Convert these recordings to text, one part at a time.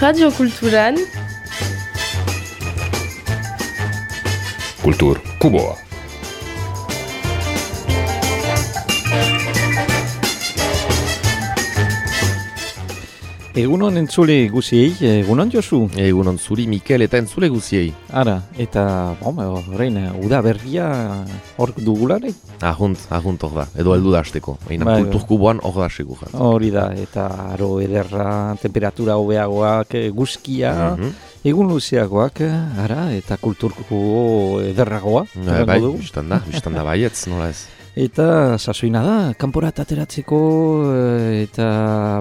Radio Kulturan Kultur Kuboa. Egunon entzule guziei, egunon Josu? Egunon zuri Mikel eta entzule guziei. Ara, eta horrein, uda berria hor dugulare? Ahunt hor da, edo heldu da hasteko. Baina Kultur Kuboan hor da segur. Hori da, eta aro ederra, temperatura hobeagoak, guzkia, egun luzeagoak, ara, eta Kultur Kubo ederragoa. Bai, biztan da baietz, nola ez. Eta sasoina da, kanporat ateratzeko eta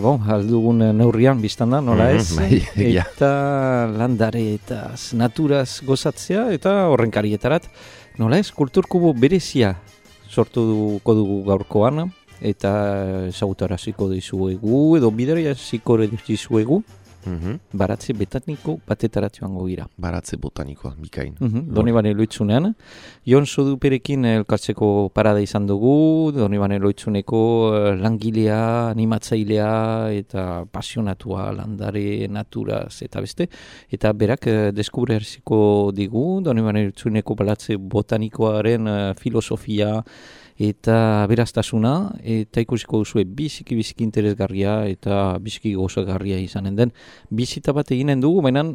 aldugun neurrian biztan da, nola ez? Eta landare eta naturaz gozatzea eta horrenkarietarat, nola ez? Kultur Kubo berezia sortuko dugu gaurkoan eta ezagutaraziko dizuegu edo bideraziko dizuegu. Baratze botaniko batetara joango gira. Baratze botanikoa, bikain. Donibane Loitzunean. Jon Soduperekin elkartzeko parada izan dugu. Donibane Loitzuneko langilea, animatzailea eta pasionatua landare naturaz eta beste. Eta berak deskubreziko digu. Donibane Loitzuneko baratze botanikoaren filosofia eta beraztasuna, eta ikusiko duzue biziki interesgarria eta biziki gozagarria izanen den. Bizita bat eginen dugu, baina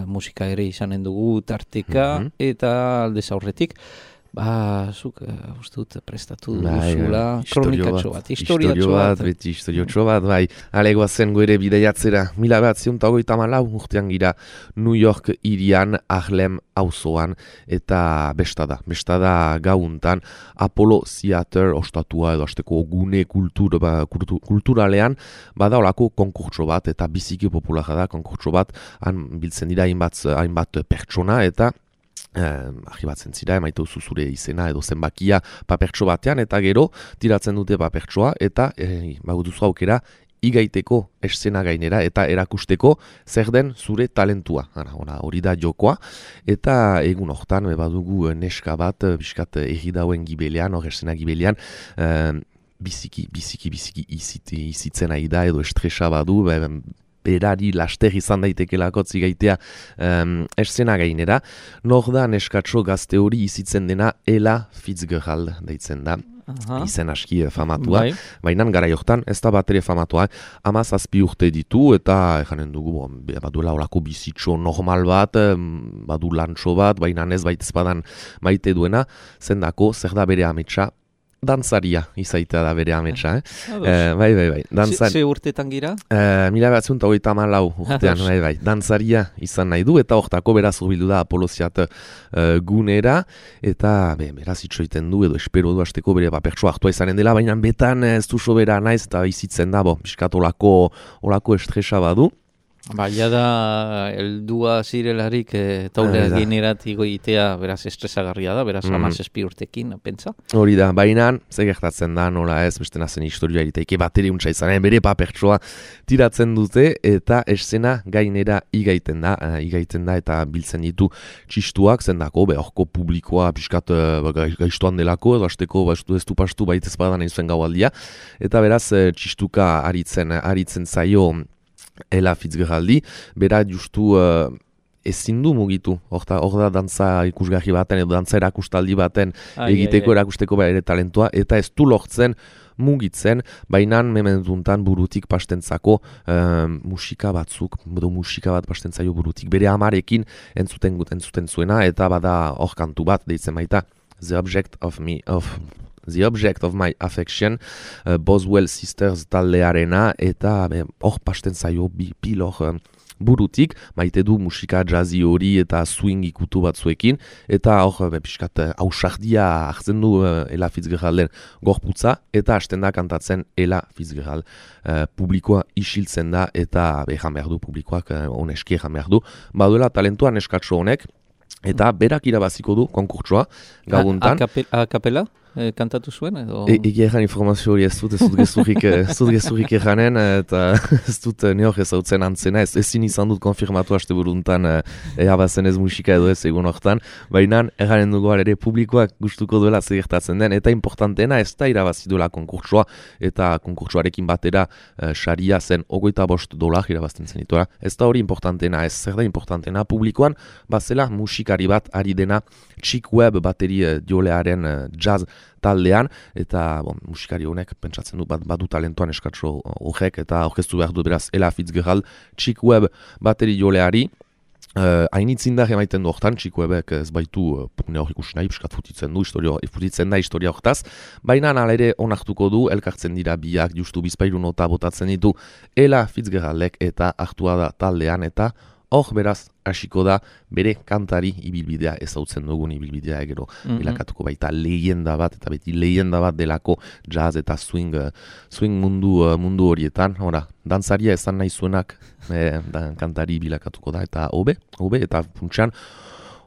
musika ere izanen dugu tarteka eta aldez aurretik. Zuk uste dut prestatu duzula kronikatxo bat, historiotxo bat, bai. Goazen goere bideiatzera, 1984 urtean gira New York irian Harlem auzoan eta bestada gauntan Apollo Theater ostatua edo asteko gune kulturalean bada olako konkurtso bat eta biziki populara da konkurtso bat, han biltzen dira hainbat pertsona eta argibatzen zira, emaitu zure izena edo zenbakia papertxo batean, eta gero tiratzen dute papertxoa, eta duzu aukera igaiteko eszena gainera, eta erakusteko zer den zure talentua. Hori da jokoa, eta egun hortan badugu neska bat, biskat egidauen gibelean, hor eszena gibelean, biziki izitzen ari da, edo estresa badu, berari laster izan daitekelako zigaitea eszena gainera. Nor da neskatxo gazte hori izitzen dena Ella Fitzgerald deitzen da. Izen aski famatua, baina gara jortan ez da bat ere famatua, 17 urte ditu eta janen dugu baduela olako bizitxo normal bat, badu lantxo bat, baina ez baitezpadan maite duena, zendako zer da bere ametsa, dantzaria izaitea da bere ametsa, Bai. Ze urtetan gira? 1984 urtean, bai. Dantzaria izan nahi du, eta hortako beraz urbildu da Apollo Theater gunera, eta beraz itxoiten du, edo espero du hasteko bere papertsoa hartua izanen dela, baina betan ez du sobera naiz, eta izitzen da, biskat olako estresa badu. Da, eldua zirelarik taulea generatiko itea beraz estresagarria da, beraz 17 urtekin, pentsa? Hori da, baina ze gertatzen da, nola ez, beste nazen historioa eriteike bateri untsa izanen, bere papertsoa tiratzen dute, eta eszena gainera igaiten da, eta biltzen ditu txistuak, zendako, horko publikoa piskat gaiztuan delako, edo hasteko ez du pastu baitez badan egin zuen gaualdia, eta beraz txistuka aritzen zaio Ella Fitzgeraldi, bera justu ezin du mugitu, hor da dantza ikusgarri baten edo dantza erakustaldi baten erakusteko bere talentua, eta ez du lortzen mugitzen, baina mementuntan burutik pastentzako musika bat pastentzaio burutik, bere amarekin entzuten zuena, eta bada hor kantu bat deitzen baita, The Object of My Affection, Boswell Sisters taldearena, eta hor pasten zaio pilor burutik, maite du musika jazzy hori eta swing ikutu batzuekin, eta hor piskat ausardia hartzen du Ella Fitzgeralden gorputza, eta hasten da kantatzen Ella Fitzgerald. Publikoa isiltzen da, eta ejan behar du, publikoak oneski ejan behar du. Baduela talentua neskatxo honek, eta berak irabaziko du konkurtsoa gauntan. A capella? kantatu zuen, edo... Egia egan informazio hori ez dut gezurrik eganen, eta ez dut neok ezautzen antzena, ezin izan dut konfirmatu haste buruntan ea bazen ez musika edo ez egun hortan, baina eganen dugu ere publikoak gustuko duela zegertatzen den, eta importanteena ez da irabazi duela konkurtsua, eta konkurtsuarekin batera saria zen $25 irabazten zen ditua. Ez da hori importanteena, ez zer da importanteena publikoan, bazela musikari bat ari dena Chick Webb bateri jolearen jazz taldean, eta musikari honek pentsatzen du badu talentoan eskatso horrek, eta orkestu behar du beraz Ella Fitzgerald Chick Webb bateri joleari, hainitzindar emaiten du hortan, Chick Webbek ez baitu ne hor ikusi nahi, piskat futitzen da historia hortaz, baina nala ere onartuko du, elkartzen dira biak, justu bizpairu nota botatzen ditu Ella Fitzgeraldek eta hartua da taldean, eta hor beraz hasiko da bere kantari ibilbidea ezautzen dugun ibilbidea egero bilakatuko baita leyenda bat, eta beti leyenda bat delako jazz eta swing mundu horietan, dantzaria esan nahi zuenak kantari bilakatuko da, eta hobe, eta funtsean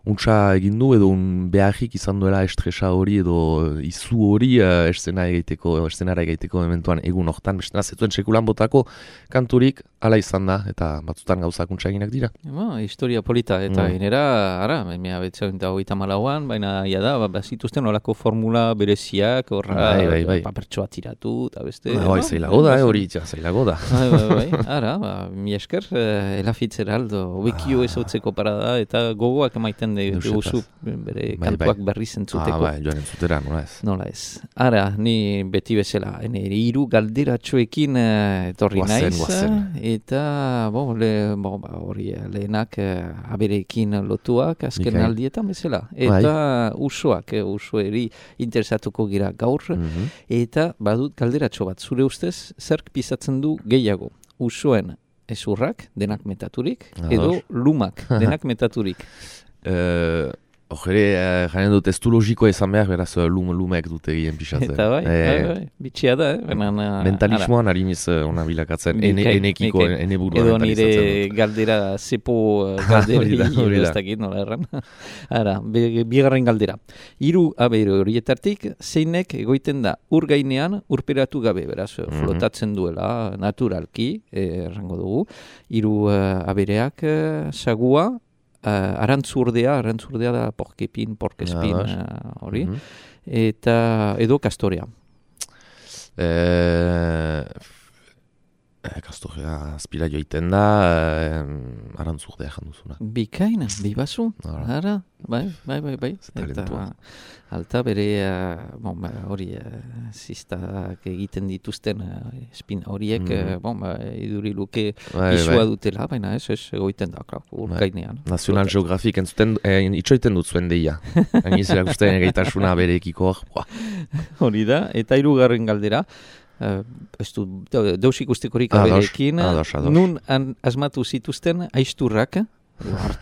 untsa egin du edo beharrik izan duela estresa hori edo izu hori eszenara egiteko mementuan egun hortan, bestena zetuen sekulan botako kanturik ala izan da, eta batzutan gauzak untsa eginak dira. Historia polita, eta inera, ara, 1924an, baina ia da, bazituzten olako formula bereziak, papertsoa tiratu, eta beste. Zailago da, hori zailago da. Ara, mi esker, Ella Fitzgerald, obekio ezautzeko parada, eta gogoak emaiten duzu bere kantuak berri zentzuteko. Joan entzutera, nola ez. Nola ez. Ara, ni beti bezala, hiru galderatxoekin etorri naiz, eta hori lehenak aberekin lotuak azken aldietan bezala. Eta usoeri interesatuko gira gaur, eta badut galderatxo bat, zure ustez, zerk pisatzen du gehiago? Usoen ezurrak, denak metaturik, edo lumak, denak metaturik? Jaren dut testu logikoa izan behar, beraz lumek dute egin pisatzen. Eta bai, bitxia da. Mentalismoan harimiz ona bilakatzen, enekiko, eneburua edo nire galdera, zepo galdera, ez dakit nola erran. Ara, bigarren galdera. 3 abere horietatik, zeinek egoiten da ur gainean urperatu gabe, beraz, flotatzen duela naturalki, errango dugu. 3 abereak, sagua, arantzurdea da porkespin hori, eta edo kastorea. Kastorea azpira joiten da, arantzurdea janduzuna. Bikaina, bibazu, ara, bai. Eta alta bere, hori, zistak egiten dituzten espin horiek, iduri luke izua dutela, baina ez egoiten da, urkainean. National Geographic itxoiten dut zuen deia. Hainiz erakusten egeitasuna berekiko hor. Hori da, eta 3. galdera, deus ikustekorik aberekin, nun asmatu zituzten aizturrak,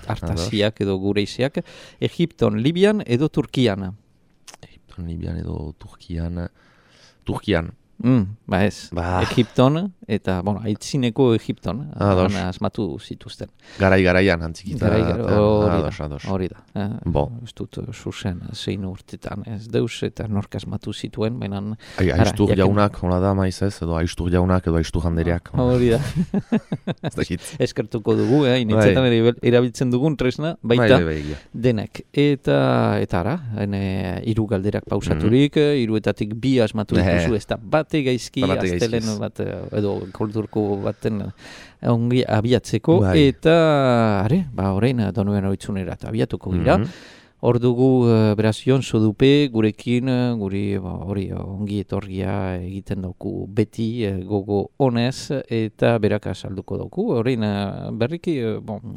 hartasiak edo gureiziak, Egipton, Libian edo Turkian? Egipton, Libian edo Turkian. Ez. Egipton, eta, aitzineko Egipton, asmatu zituzten. Garaian, antzikitan. Hori da. Ez dut zuzen, zein urtetan, ez deus, eta nork asmatu zituen, baina... Aiztur jaunak, hola da, maiz ez, edo aiztur jaunak, edo aiztur handereak. Hori da. Eskertuko dugu, initzetan erabiltzen dugun tresna, baita denek. Eta ara, 3 galderak pausaturik, 3etatik 2 asmatu dituzu, ez da bate gaizki, aztelen bat, edo kulturko baten ongi abiatzeko, eta orain Donuen Oitzunera abiatuko gira. Hor dugu, beraz, Jon Sodupe gurekin, guri ongi etorgia egiten dauku beti gogo honez, eta berak azalduko dauku. Horrein, berriki,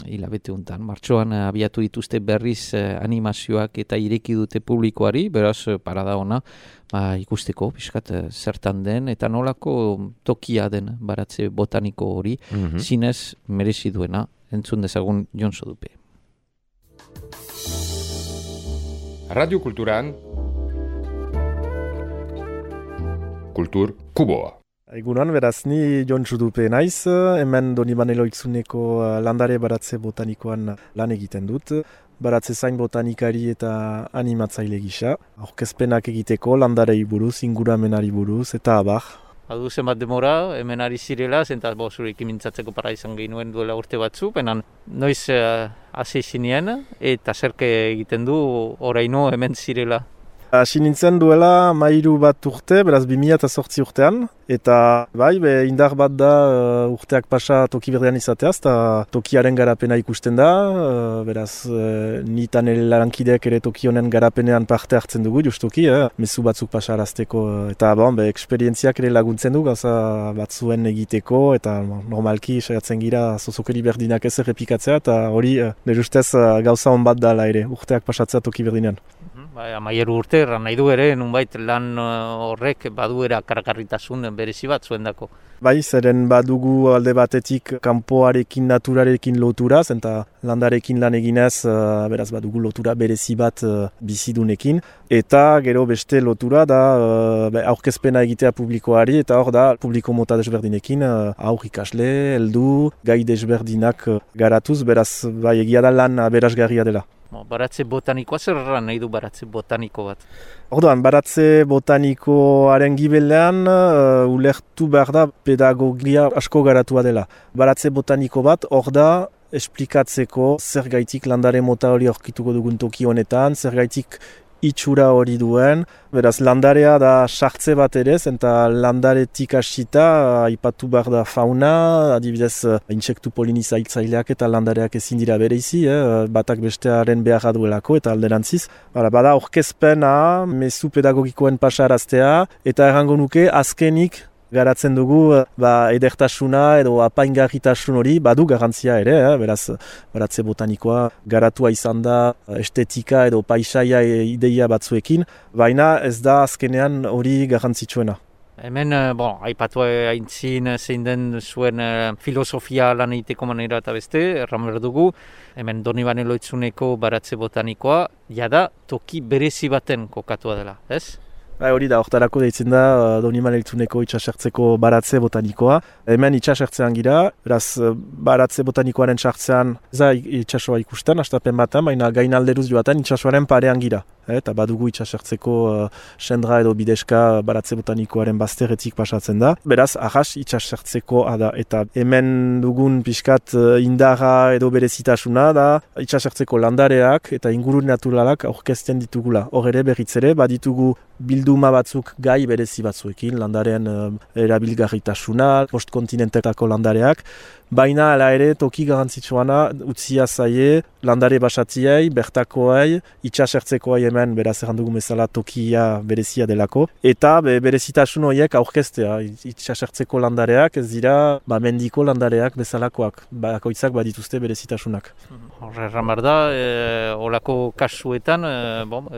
hilabete untan, martxoan abiatu dituzte berriz animazioak eta ireki dute publikoari, beraz, parada ona, ikusteko, pixkat, zertan den, eta nolako tokia den baratze botaniko hori, zinez merezi duena, entzun dezagun Jon Sodupe. Radio Kulturan Kultur Kuboa. Egunon, beraz, ni Jon Sodupe naiz, hemen Donibane Loitzuneko landare baratze botanikoan lan egiten dut. baratze zain botanikari eta animatzaile gisa. Aurkezpenak egiteko, landarei buruz, inguramenari buruz, eta abar. Badu zenbat demora, hemen ari zirela, zenta zurekin mintzatzeko para izan genuen duela urte batzu, penan noiz hasi zinien eta zerke egiten du oraino hemen zirela. Hasi nintzen duela 13 bat urte, beraz 2008 urtean, eta bai, indar bat da urteak pasa toki berdean izateaz, eta tokiaren garapena ikusten da, beraz nitan lankideak ere toki honen garapenean parte hartzen dugu, justoki, mezu batzuk pasarazteko, eta eksperientziak ere laguntzen du, gauza batzuen egiteko, eta normalki saiatzen gira zozokeri berdinak ez errepikatzea, eta hori, nire ustez gauza hon bat dala ere, urteak pasatzea toki berdinean. Amaieru urte, nahi du ere, nunbait lan horrek baduera karakarritasun berezi bat zuendako. Bai, zeren badugu alde batetik kanpoarekin, naturarekin lotura, eta landarekin lan eginez, beraz badugu lotura berezi bat bizidunekin, eta gero beste lotura da aurkezpena egitea publikoari, eta hor da publiko mota desberdinekin, aur ikasle, heldu, gai desberdinak garatuz, beraz bai egia da lan aberasgarria dela. Baratze botanikoa zer nahi du baratze botaniko bat? Orduan, baratze botanikoaren gibelean ulertu behar da pedagogia asko garatua dela. Baratze botaniko bat hor da esplikatzeko zer gaitik landare mota hori aurkituko dugun toki honetan, zer gaitik itxura hori duen, beraz landarea da sartze bat ere, eta landaretik hasita aipatu behar da fauna, adibidez intsektu polinizatzaileak eta landareak ezin dira bereizi, batak bestearen beharra duelako eta alderantziz. Bada aurkezpena, mezu pedagogikoen pasaraztea, eta errango nuke azkenik garatzen dugu edertasuna edo apaingarritasun hori badu garantzia ere, beraz baratze botanikoa garatua izan da estetika edo paisaia ideia batzuekin, baina ez da azkenean hori garrantzitsuena. Hemen, aipatu aintzin zein den zuen filosofia lan egiteko manera eta beste, erran dugu, hemen Donibane Lohitzuneko baratze botanikoa, jada toki berezi baten kokatua dela, ez? Hori da, hortarako deitzen da Donibane Lohitzuneko itxasertzeko baratze botanikoa. Hemen itxasertzean gira, beraz baratze botanikoaren sartzean ez da itxasoa ikusten, hastapen batan, baina gain alderuz joaten itxasoaren parean gira. Eta badugu itxasertzeko sendra edo bideska baratze botanikoaren bazterretik pasatzen da. Beraz, ahas itxasertzeko da. Eta hemen dugun pixkat indarra edo berezitasuna da itxasertzeko landareak eta inguru naturalak aurkezten ditugula. Hor ere berriz ere, baditugu bilduma batzuk gai berezi batzuekin, landaren erabilgarritasuna, postkontinentetako landareak, baina hala ere toki garrantzitsuana utzia zaie landare basatziei, bertakoei, itxasertzekoei hemen beraz errandugu bezala tokia berezia delako, eta berezitasun horiek aurkeztea, itxasertzeko landareak ez dira mendiko landareak bezalakoak, bakoitzak badituzte berezitasunak. Horreran behar da, olako kasuetan,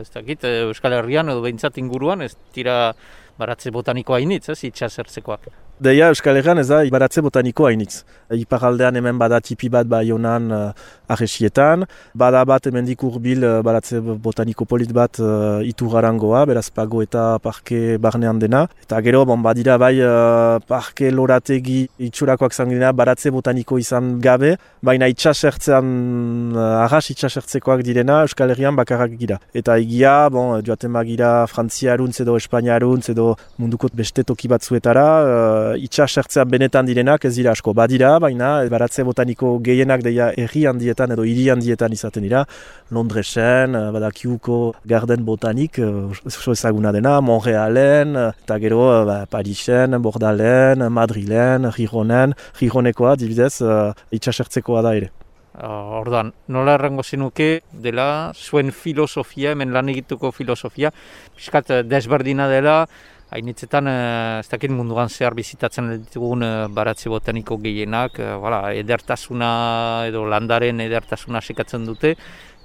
ez dakit, Euskal Herrian edo behintzat inguruan, ez dira baratze botanikoa hainitz, ez itxasertzekoak. Deia Euskal Herrian ez da baratze botanikoa hainitz. Iparaldean hemen bada tipi bat Baionan Arresietan, bada bat hemendik hurbil baratze botaniko polit bat Iturrarangoa, beraz Pago eta Parke barnean dena. Eta gero, badira bai Parke Lorategi itxurakoak zangina baratze botaniko izan gabe, baina itxasertzean, arras itxasertzekoak direna Euskal Herrian bakarrak gira. Eta egia, joaten bagira Frantziaruntz edo Espainiaruntz edo munduko beste toki batzuetara, itxasertzean benetan direnak ez dira asko. Badira, baina baratze botaniko gehienak deia herri handietan edo hiri handietan izaten dira. Londresen, badakiuko Garden Botanik, oso ezaguna dena, Montrealen, eta gero Parisen, Bordalen, Madrilen, Gironekoa, dibidez, itxasertzekoa da ere. Orduan, nola errango zenuke dela zuen filosofia, hemen lan egituko filosofia, piskat desberdina dela, hainitzetan, ez dakit munduan zehar bizitatzen ditugun baratze botaniko gehienak, edertasuna edo landaren edertasuna sekatzen dute,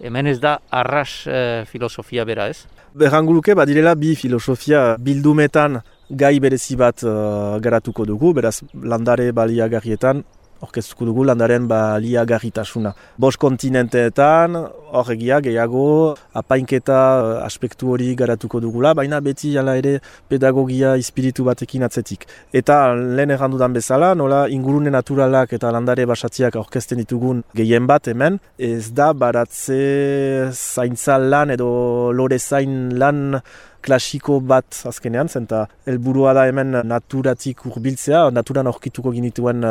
hemen ez da arras filosofia bera, ez? Berranguluke badirela bi filosofia bildumetan gai berezi bat garatuko dugu, beraz landare baliagarrietan orkestuko dugu landaren baliagarritasuna. 5 kontinenteetan, hor egia gehiago, apainketa aspektu hori garatuko dugula, baina beti jala ere pedagogia espiritu batekin atzetik. Eta lehen errandudan bezala, nola ingurune naturalak eta landare basatiak aurkezten ditugun gehien bat hemen, ez da baratze zaintza lan edo lore zain lan klasiko bat azkenean, zenta helburua da hemen naturatik hurbiltzea, naturan aurkituko ginituen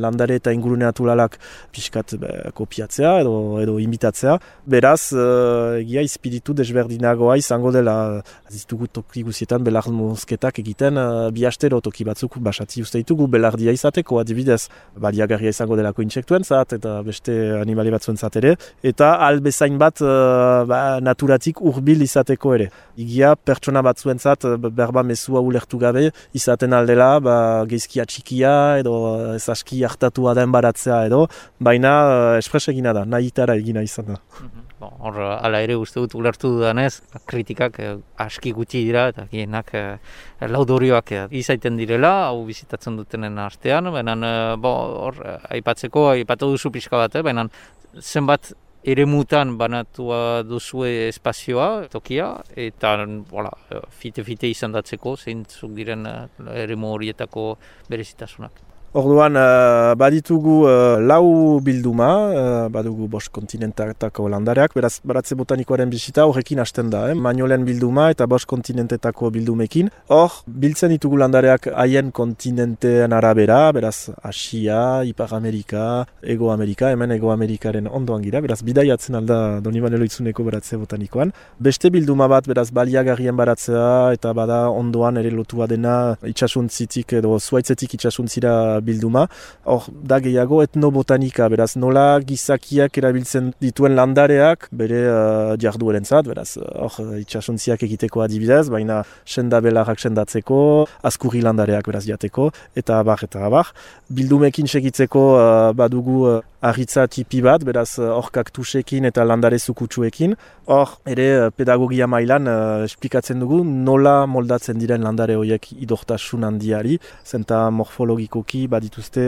landare eta ingurune naturalak pixkat kopiatzea edo imitatzea. Beraz, egia espiritu desberdinagoa izango dela, ditugu toki guzietan belarmozketak egiten, bi astero toki batzuk basati uste ditugu belardia izateko, adibidez, baliagarria izango delako intsektuentzat eta beste animale batzuentzat ere, eta albezain bat naturatik hurbil izateko ere. Egia pertsona batzuentzat berba mezua ulertu gabe izaten aldela geizkia txikia edo ezaski hartatua den baratzea edo, baina espres egina da, nahitara egina izan da. Hor, ala ere uste dut ulertu dudanez, kritikak aski gutxi dira eta gienak laudorioak izaiten direla, hau bizitatzen dutenen artean, baina hor aipatu duzu pixka bat, baina zenbat eremutan banatua duzue espazioa, tokia, eta fite-fite izandatzeko zeintzuk diren eremu horietako berezitasunak. Orduan, baditugu 4 bilduma, badugu 5 kontinentetako landareak, beraz, baratze botanikoaren bisita horrekin hasten da, Mainolen bilduma eta 5 kontinentetako bildumekin. Hor, biltzen ditugu landareak haien kontinenteen arabera, beraz, Asia, Ipar Amerika, Ego Amerika, hemen Ego Amerikaren ondoan gira, beraz, bidaiatzen alda Donibane Lohitzuneko baratze botanikoan. Beste bilduma bat, beraz, baliagarrien baratzea, eta bada ondoan ere lotua dena itxasuntzitik edo zuaitzetik itxasuntzira bilduma. Hor, da gehiago etnobotanika, beraz, nola gizakiak erabiltzen dituen landareak, bere jarduerentzat, beraz, hor, itxasuntziak egiteko adibidez, baina senda belarrak sendatzeko, azkurri landareak beraz jateko, eta abar. Bildumekin segitzeko badugu arritza tipi bat, beraz, hor kaktusekin eta landare zukutsuekin. Hor, ere pedagogia mailan esplikatzen dugu nola moldatzen diren landare horiek idortasun handiari, zenta morfologikoki badituzte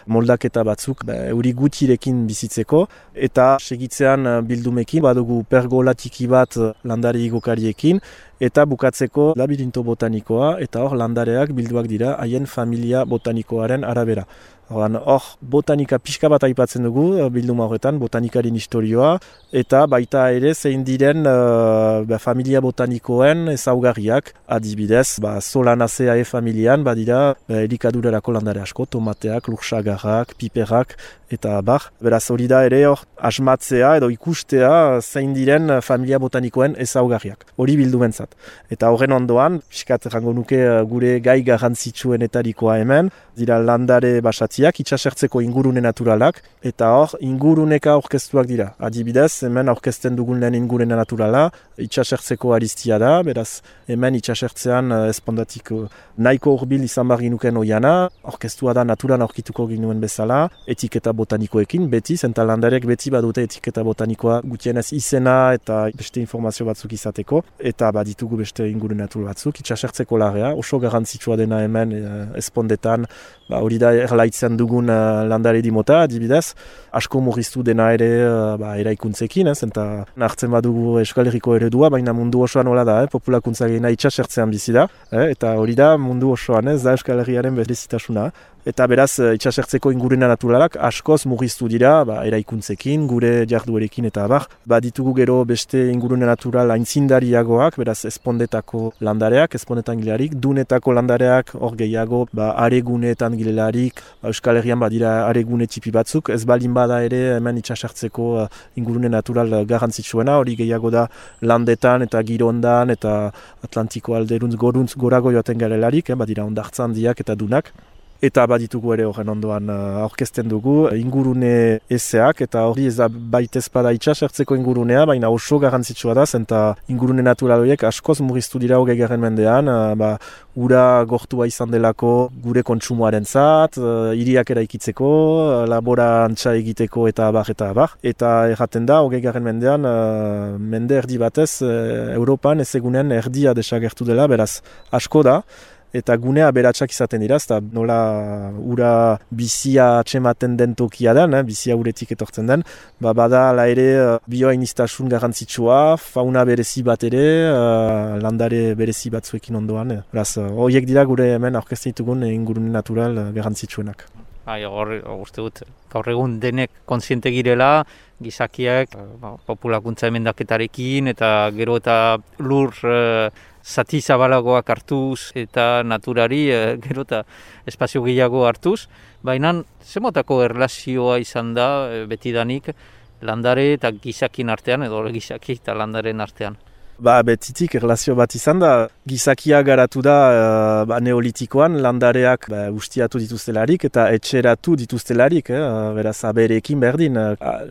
moldaketa batzuk euri gutirekin bizitzeko, eta segitzean bildumekin badugu pergola tiki bat landare igokariekin, eta bukatzeko labirinto botanikoa, eta hor landareak bilduak dira haien familia botanikoaren arabera. Hor, botanika pixka bat aipatzen dugu, bilduma horretan, botanikarin historioa, eta baita ere zein diren familia botanikoen ezaugarriak, adibidez, Solanaceae familian, badira elikadurarako landare asko, tomateak, lursagarrak, piperrak, eta bar. Beraz hori da ere hor, asmatzea edo ikustea zein diren familia botanikoen ezaugarriak. Hori bildumentzat. Eta horren ondoan, pixkat errango nuke gure gai garrantzitsuenetarikoa hemen, dira landare basatiak, itxasertzeko ingurune naturalak, eta hor inguruneka aurkeztuak dira. Adibidez, hemen aurkezten dugun lehen ingurune naturala, itxasertzeko aristia da, beraz hemen itxasertzean espondatik nahiko hurbil izan bar ginuken oiana, aurkeztua da naturan aurkituko ginuen bezala, etiketa botanikoekin, beti, zenta landarek beti badute etiketa botanikoa gutienez izena eta beste informazio batzuk izateko, eta baditugu beste ingurune natural batzuk, itxasertzeko larea, oso garrantzitsua dena hemen espondetan, hori da erlaitzen dugun landare dimota, adibidez, asko murriztu dena ere eraikuntzekin, zenta hartzen badugu Euskal Herriko eredua, baina mundu osoan hola da, populakuntza gehiena itxasertzean bizi da, eta hori da mundu osoan, da Euskal Herriaren berezitasuna. Eta beraz, itxasertzeko ingurune naturalak askoz murriztu dira, eraikuntzekin, gure jarduerekin eta abar. Ditugu gero beste ingurune natural aintzindariagoak, beraz espondetako landareak, espondetan gilarik, dunetako landareak, hor gehiago, areguneetan gilelarik, Euskal Herrian badira aregune tipi batzuk, ez balin bada ere hemen itxasertzeko ingurune natural garrantzitsuena, hori gehiago da landetan eta girondan eta Atlantiko alderuntz gorago joaten garelarik, badira ondartzan handiak eta dunak. Eta baditugu ere horren ondoan aurkezten dugu ingurune ezeak, eta hori ez da baitezpada itxasertzeko ingurunea, baina oso garrantzitsua da, zenta ingurune natural horiek askoz murriztu dira 20. mendean, ura gortua izan delako gure kontsumoaren zat, hiriak eraikitzeko, laborantza egiteko eta abar. Eta erraten da 20. mendean, mende erdi batez, Europan ez egunen erdia desagertu dela, beraz asko da. eta gunea aberatsak izaten dira, eta nola ura bizia atxematen den tokia den, bizia uretik etortzen den, bada ala ere bioainiztasun garrantzitsua, fauna berezi bat ere, landare berezi batzuekin ondoan. Horiek dira gure hemen aurkezten ditugun ingurune natural garrantzitsuenak. Uste dut, gaur egun denek kontziente girela, gizakiak populakuntza emendaketarekin eta gero eta lur zati zabalagoak hartuz eta naturari gero eta espazio gehiago hartuz, baina zemotako erlazioa izan da betidanik landare eta gizakin artean edo gizaki eta landaren artean. Betitik erlazio bat izan da, gizakia garatu da neolitikoan landareak ustiatu dituztelarik eta etxeratu dituztelarik, beraz abereekin berdin,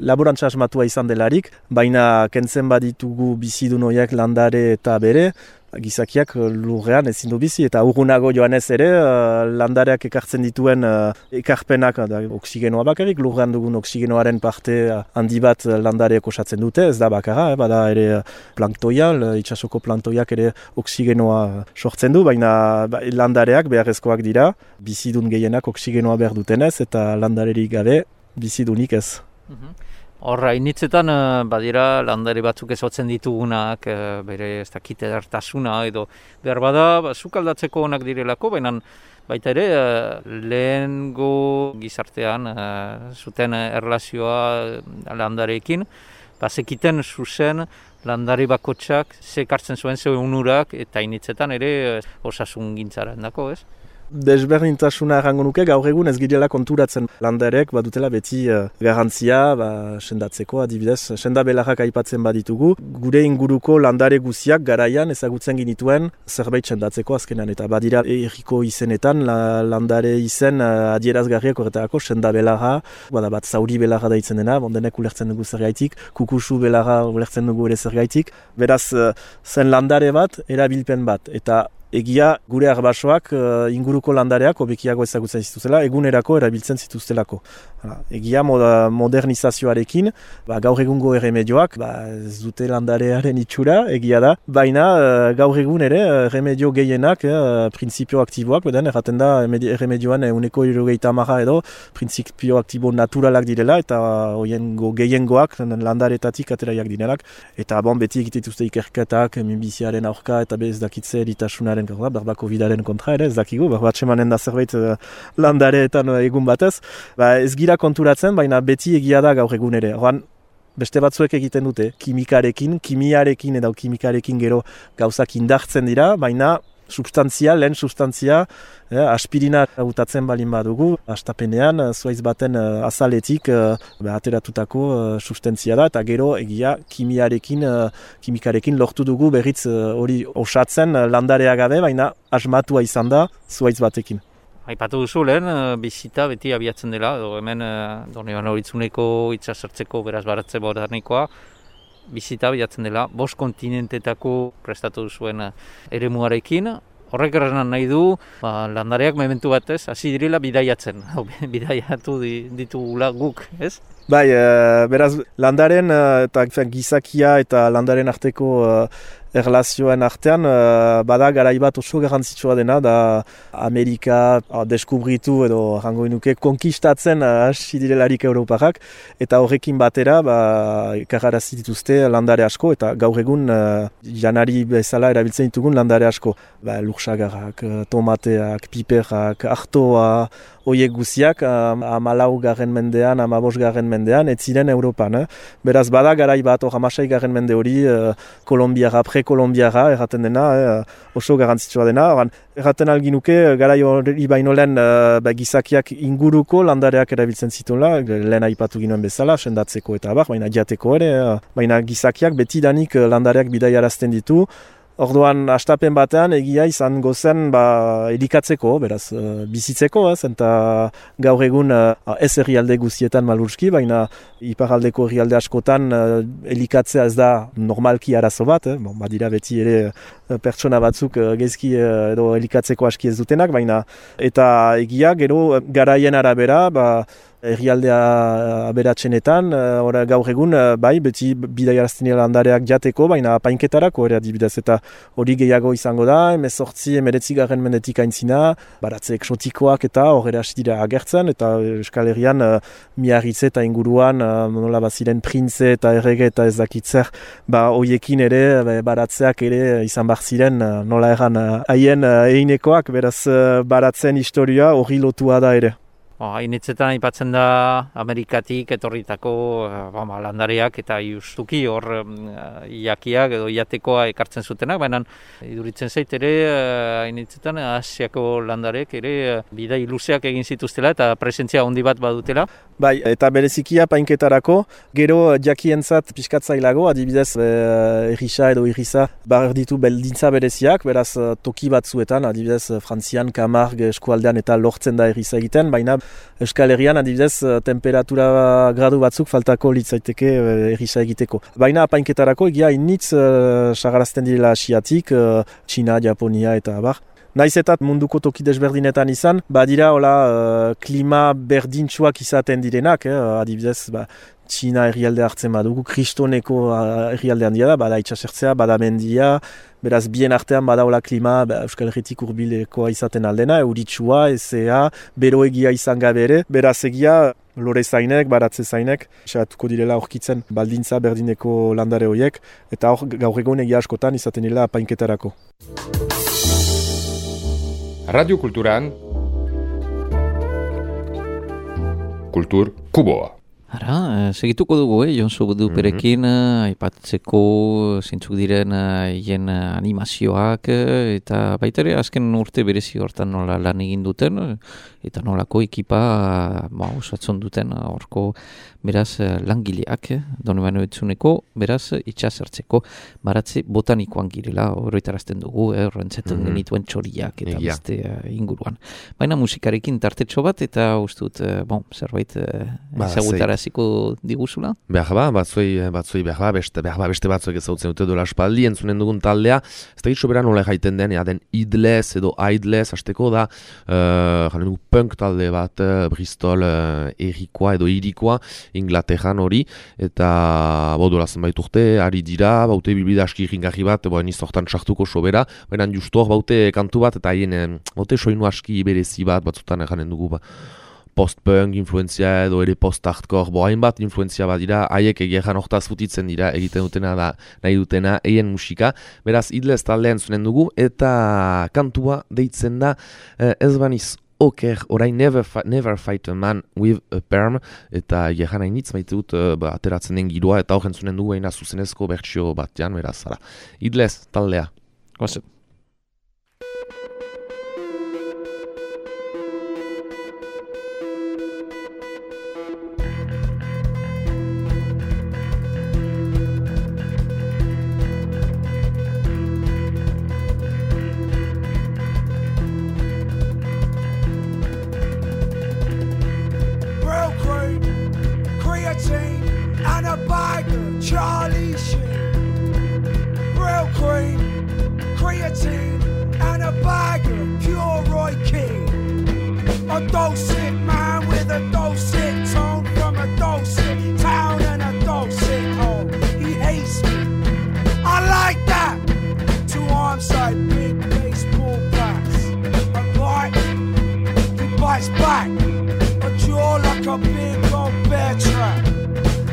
laborantza asmatua izan delarik, baina kentzen baditugu bizidun horiek landare eta bere, gizakiak lurrean ezin du bizi, eta urgunago joanez ere landareak ekartzen dituen ekarpenak, oksigenoa bakarrik, lurrean dugun oksigenoaren parte handi bat landareek osatzen dute, ez da bakarra, bada ere planktoia, itsasoko planktoiak ere oksigenoa sortzen du, baina landareak beharrezkoak dira, bizidun gehienak oksigenoa behar dutenez, eta landarerik gabe bizidunik ez. Horra, initzetan badira landare batzuk ezotzen ditugunak, bere ez dakit edertasuna edo behar bada sukaldatzeko onak direlako, baina baita ere lehengo gizartean zuten erlazioa landareekin, bazekiten zuzen landare bakotsak zekartzen zuen ze unurak eta initzetan ere osasun gintzaren dako, ez? Desberdintasuna errango nuke, gaur egun ez girela konturatzen landareek badutela beti garantzia sendatzeko, adibidez, senda belarrak aipatzen baditugu. Gure inguruko landare guziak garaian ezagutzen ginituen zerbait sendatzeko azkenan, eta badira erriko izenetan landare izen adierazgarriak horretarako senda belarra, bat zauri belarra daitzen dena, bondenek ulertzen dugu zergaitik, kukusu belarra ulertzen dugu ere zergaitik, beraz zen landare bat, erabilpen bat, eta egia gure arbasoak inguruko landareak hobekiago ezagutzen zituztela, egunerako erabiltzen zituztelako. Egia modernizazioarekin, gaur egungo erremedioak, ez dute landarearen itxura, egia da, baina gaur egun ere erremedio gehienak, printzipio aktiboak, beden erraten da erremedioan 150 edo printzipio aktibo naturalak direla, eta hoiengo gehiengoak landaretatik ateraiak direlak, eta beti egitituzte ikerketak, minbiziaren aurka, eta ez dakitze eritasunaren berbako bidaren kontra ere, ez dakigu, batxemanen da zerbait landareetan egun batez, ez gira konturatzen, baina beti egia da gaur egun ere. Beste batzuek egiten dute, kimiarekin edo kimikarekin gero gauzak indartzen dira, baina lehen substantzia, aspirina hautatzen balin badugu, hastapenean, zuaiz baten azaletik ateratutako sustantzia da, eta gero egia kimikarekin lortu dugu berriz hori osatzen landarea gabe, baina asmatua izan da zuaiz batekin. Aipatu duzu lehen, bizita beti abiatzen dela, hemen Donibane Uritzuneko itsasertzeko beraz baratze botanikoa, bizita abiatzen dela, 5 kontinentetako prestatu duzuen eremuarekin. Horrek erran nahi du, landareak mementu batez, hasi direla bidaiatzen, bidaiatu ditugula guk, ez? Beraz, landaren eta gizakia eta landaren arteko erlazioen artean, bada garaibat oso garrantzitsua dena, da Amerika deskubritu edo jango inuke konkistatzen hasi direlarik Europarrak, eta horrekin batera ekarrarazi dituzte landare asko, eta gaur egun janari bezala erabiltzen ditugun landare asko. Lursagarrak, tomateak, piperrak, artoa, hoiek guziak 14. mendean, 15. mendean, ez ziren Europan. Beraz, bada garai bat, 16. mende hori, kolombiara, prekolombiara, erraten dena, oso garrantzitsua dena. Erraten alginuke, garai hori baino lehen gizakiak inguruko landareak erabiltzen zituela, lehen aipatu ginoen bezala, sendatzeko eta baina jateko ere, baina gizakiak betidanik landareak bidaiarazten ditu. Orduan, hastapen batean egia izan gozen elikatzeko, beraz, bizitzeko, eta gaur egun ez herrialde guztietan malurski, baina iparaldeko herrialde askotan elikatzea ez da normalki arazo bat, badira beti ere pertsona batzuk gezki edo elikatzeko aski ez dutenak, baina eta egia gero garaien arabera, herrialdea aberatsenetan, gaur egun, bai, beti bidaiarazten landareak jateko, baina apainketarako ere adibidez, eta hori gehiago izango da, 19 mendetik aintzina, baratze eksotikoak eta horre hasi dira agertzen, eta Euskal Herrian Miarritze eta inguruan, nola baziren printze eta errege eta ez dakitzer, hoiekin ere, baratzeak ere izan bar ziren, nola erran, haien einekoak, beraz baratzen historia hori lotua da ere. Hainitzetan aipatzen da Amerikatik etorritako landareak eta justuki hor iakiak edo iatekoa ekartzen zutenak, baina iduritzen zait ere hainitzetan Asiako landarek ere bidai luzeak egin zituztela eta presentzia handi bat badutela. Bai, eta berezikia painketarako, gero jakientzat pixkatzailago, adibidez errisa edo irrisa ditu beldintza bereziak, beraz toki batzuetan, adibidez Frantzian, Camargue eskualdean eta lortzen da errisa egiten, baina Euskal Herrian adibidez temperatura gradu batzuk faltako litzaiteke errisa egiteko. Baina painketarako egia initz sagarazten direla Asiatik, Txina, Japonia eta abar. Naiz eta munduko toki desberdinetan izan, badira klima berdintsuak izaten direnak, adibidez, Txina herrialde hartzen badugu, kristoneko herrialde handia da, bada itxasertzea, bada mendia, beraz bien artean bada klima Euskal Herritik hurbilekoa izaten aldena, euritsua, ezea, beroegia izan gabe ere, beraz egia lore zainek, baratze zainek, xeratuko direla aurkitzen baldintza berdineko landare horiek, eta hor gaur egun egia askotan izaten dira painketarako. Radio Kulturan Kultur Kuboa. Segituko dugu, Jonsu Duperekin, aipatzeko zintzuk diren hien animazioak, eta baita ere azken urte berezi hortan nola lan egin duten, eta nolako ekipa osatzen duten horko beraz langileak, Donibane Oitzuneko, beraz itxasertzeko baratze botanikoan girela, horretarazten dugu, horrentzetan genituen txoriak eta beste inguruan. Baina musikarekin tartetxo bat, eta ustut, zerbait ezagutaraziko diguzula? Batzoi beste batzuek ezagutzen dute dola espaldi, entzunen dugun taldea, ez da hitz soberan nola jaiten den, den idlez edo aidlez, hasteko da, jaren dugu punk talde bat, Bristol errikoa edo irikoa, Inglaterran hori, eta dola zenbait urte, ari dira, baute bilbida aski irringarri bat, niz hortan sartuko sobera, baina justu hor baute kantu bat, eta haien baute soinu aski berezi bat, batzutan janen dugu, post-punk influenzia edo ere post-hardcore, hainbat influenzia bat dira, haiek egeran hortaz futitzen dira, egiten dutena da, nahi dutena, eien musika, beraz idlez taldean zunen dugu, eta kantua deitzen da, ez baniz oker, orain never fight a man with a perm, eta egeran hainitz maite dut ateratzen den giroa, eta horren zunen dugu eina zuzenezko bertsio batean, beraz, idlez taldea. Goze. Charlie Sheen, real cream, creatine, and a bag of pure Roy Keane. A dulcet man with a dulcet tone from a dulcet town and a dulcet home. He hates me, I like that. 2 arms like big baseball bats. A bite, he bites back. A jaw like a big old bear trap.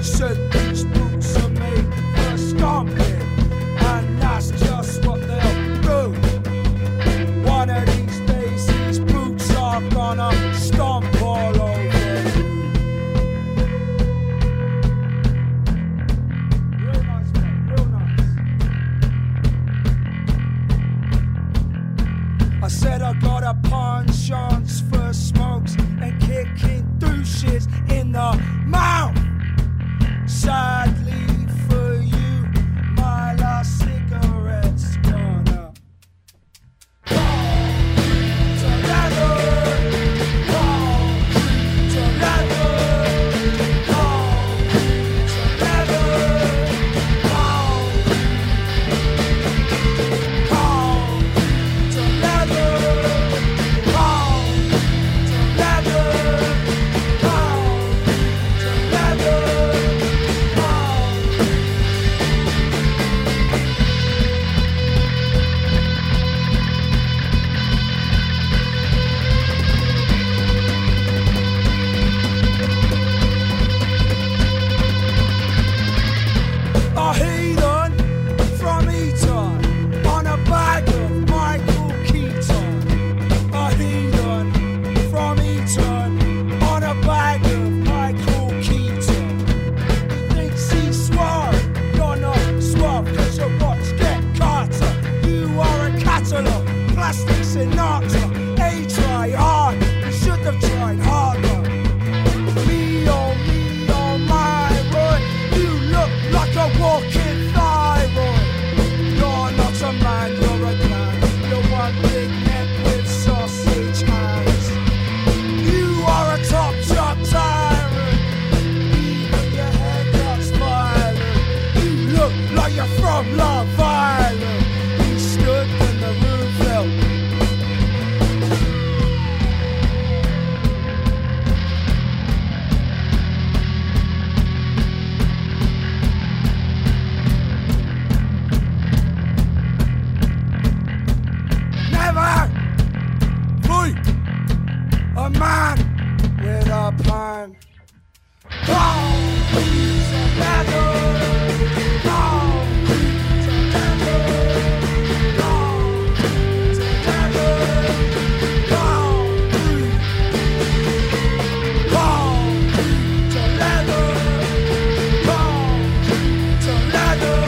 Said these boots are made for stomping, and that's just what they'll do. One of these days these boots are gonna stomp all over you. Real nice, man, real nice. I said I got a penchant for smokes and kicking douches in the mouth. Sadly for you, my last cigarette's gonna fall to leather, fall to leather, fall to leather, fall plastic Sinatra. A try hard, you should have tried harder. Me on my road, you look like a walking thyroid. You're not a man, you're a clown. You're one big neck with sausage hands. You are a top shot tyrant. Even your haircut's violent. You look like you're from Love Island. You stood when the room fell. Never fui a man with a plan. Concrete together. Concrete together. Concrete together. Concrete. Concrete to leather. Concrete to leather.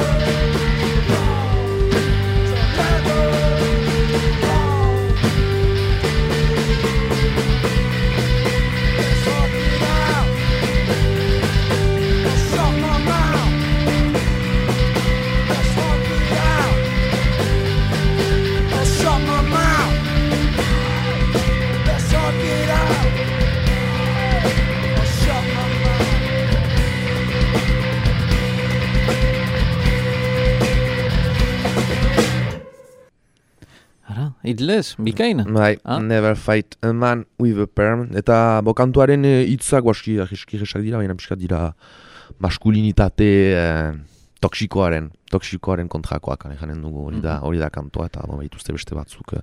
Ara, idlez, bikain. Bai, Ah? Never fight a man with a perm. Eta kantuaren hitzak guaski eskiresak dira, baina pixkat dira maskulinitate toksikoaren kontrakoak, janen dugu hori da kantua, eta baituzte beste batzuk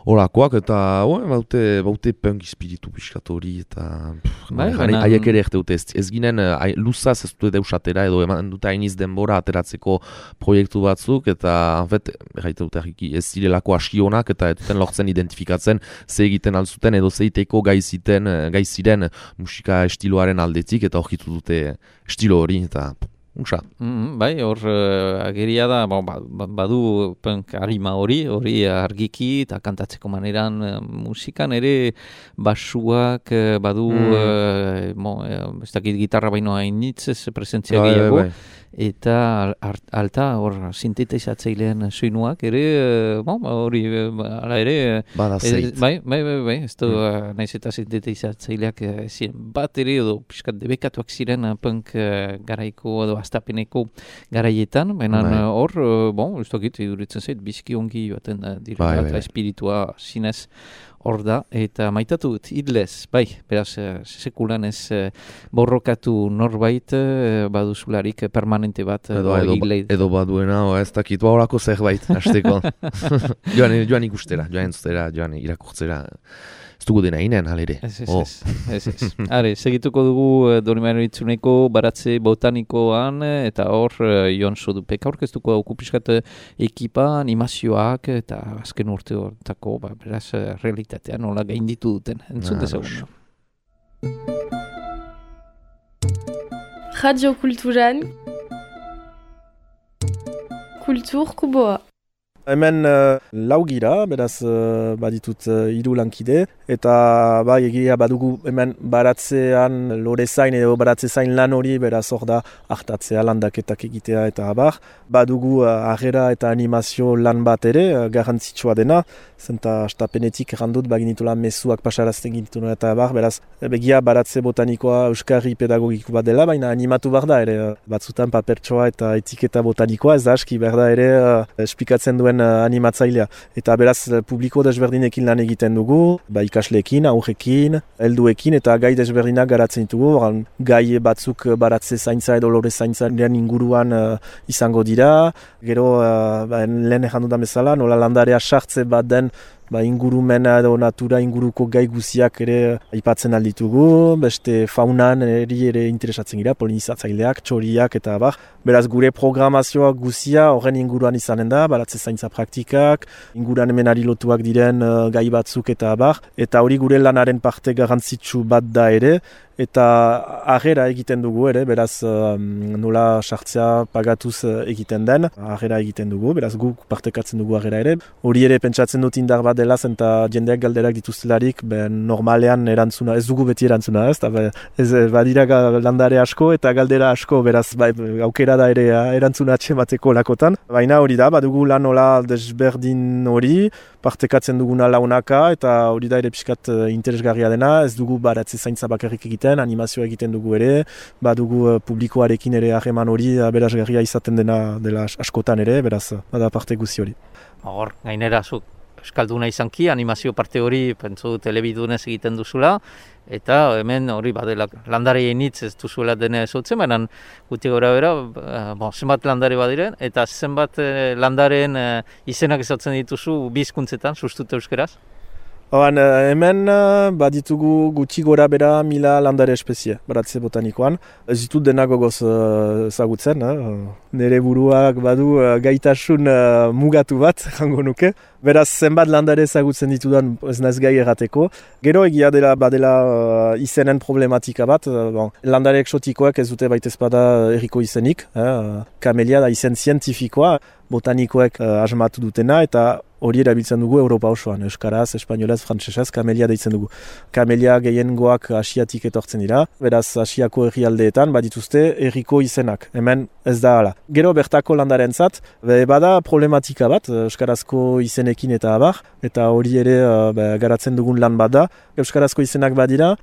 horakoak, eta baute punk espiritu pixkat hori, eta haiek ere erte dute, ez ginen luzaz ez dute deusatera, edo eman dute hainiz denbora ateratzeko proiektu batzuk, eta gaite dute ez zirelako aski honak, eta ez duten lortzen identifikatzen ze egiten alzuten, edo zeiteko gai ziren musika estiloaren aldetik, eta horkitu dute estilo hori, eta unsa. Bai, hor ageria da, badu punk harima hori argiki eta kantatzeko maneran musikan ere basuak badu, ez dakit gitarra baino hainitz ez presentzia gehiago, eta alta hor sintetizatzailean soinuak ere, hori ala ere, bada zeit. Bai, ez du naiz eta sintetizatzaileak ziren bat ere, edo piskat debekatuak ziren punk garaiko edo astapeneko garaietan, baina hor, ez dakit, iduritzen zait, bizki ongi joaten dira, eta espiritua zinez hor da, eta maitatu dut, idlez, bai, beraz, sekulan ez borrokatu norbait, baduzularik permanente bat, edo baduena, ez dakit, horako zerbait, hasteko. joan ikustera, joan entzutera, joan irakurtzera, ez dugu dena inen, halere. Ez. Are, segituko dugu Donibane Lohizuneko baratze botanikoan, eta hor, Jon Sodupek aurkeztuko dauku pixkat ekipa, animazioak, eta azken urte hortako, beraz, realitatean nola gainditu duten. Entzun dezagun. Radio Kulturan Kultur Kuboa. Hemen lau gira, beraz baditut 3 lankide, eta bai egia badugu hemen baratzean lorezain edo baratzezain lan hori, beraz hor da hartatzea landaketak egitea eta abar. Badugu agera eta animazio lan bat ere, garrantzitsua dena, zenta astapenetik errandut baginitula mezuak pasarazten ginituna eta abar, beraz begia baratze botanikoa euskarri pedagogiko bat dela, baina animatu behar da ere, batzutan papertsoa eta etiketa botanikoa, ez da aski behar da ere esplikatzen duen animatzailea. Eta beraz publiko desberdinekin lan egiten dugu, ikasleekin, aurrekin, helduekin eta gai desberdinak garatzen ditugu. Gai batzuk baratze zaintza edo lore zaintzaren inguruan izango dira. Gero lehen errandu da bezala, nola landarea sartze bat den ingurumena edo natura inguruko gai guziak ere aipatzen alditugu, beste faunan ere interesatzen gira, polinizatzaileak, txoriak eta abar. Beraz gure programazioa guzia horren inguruan izanen da, baratze zaintza praktikak, inguruan hemenari lotuak diren gai batzuk eta abar, eta hori gure lanaren parte garrantzitsu bat da ere, eta agera egiten dugu ere, beraz nola sartzea pagatuz egiten den, agera egiten dugu, beraz guk partekatzen dugu agera ere. Hori ere pentsatzen dut indar bat dela zen eta jendeak galderak dituztelarik, normalean erantzuna, ez dugu beti erantzuna, ez badira landare asko eta galdera asko, beraz aukera da ere erantzuna atxemateko lakotan. Baina hori da, badugu lan nola desberdin hori, partekatzen duguna launaka eta hori da ere pixkat interesgarria dena, ez dugu baratze zaintza bakarrik egiten, animazioa egiten dugu ere, badugu publikoarekin ere harreman hori aberasgarria izaten dela askotan ere, beraz bada parte guzi hori. Hor, gainera zuk euskalduna izanki, animazio parte hori pentsu telebidunez egiten duzula, eta hemen hori badela landareien hitz ez duzuela dena ezotzen, baina guti gora bera, zenbat landare badiren, eta zenbat landareen izenak ezatzen dituzu bizkuntzetan, sustut euskeraz? Hemen baditugu gutxi gora bera 1000 landare espezie, baratze botanikoan. Ez ditut dena gogoz ezagutzen, nire buruak badu gaitasun mugatu bat, jango nuke. Beraz, zenbat landare ezagutzen ditudan ez naiz gai errateko. Gero egia dela badela izenen problematika bat, landare eksotikoak ez dute baita ezpada herriko izenik, kamelia da izen zientifikoa, botanikoek asmatu dutena, eta hori erabiltzen dugu Europa osoan, euskaraz, espainolaz, frantsesez, kamelia deitzen dugu. Kamelia gehiengoak asiatik etortzen dira, beraz asiako herrialdeetan badituzte herriko izenak, hemen ez da hala. Gero bertako landarentzat, bada problematika bat, euskarazko izenekin eta abar, eta hori ere garatzen dugun lan bat da. Euskarazko izenak badira,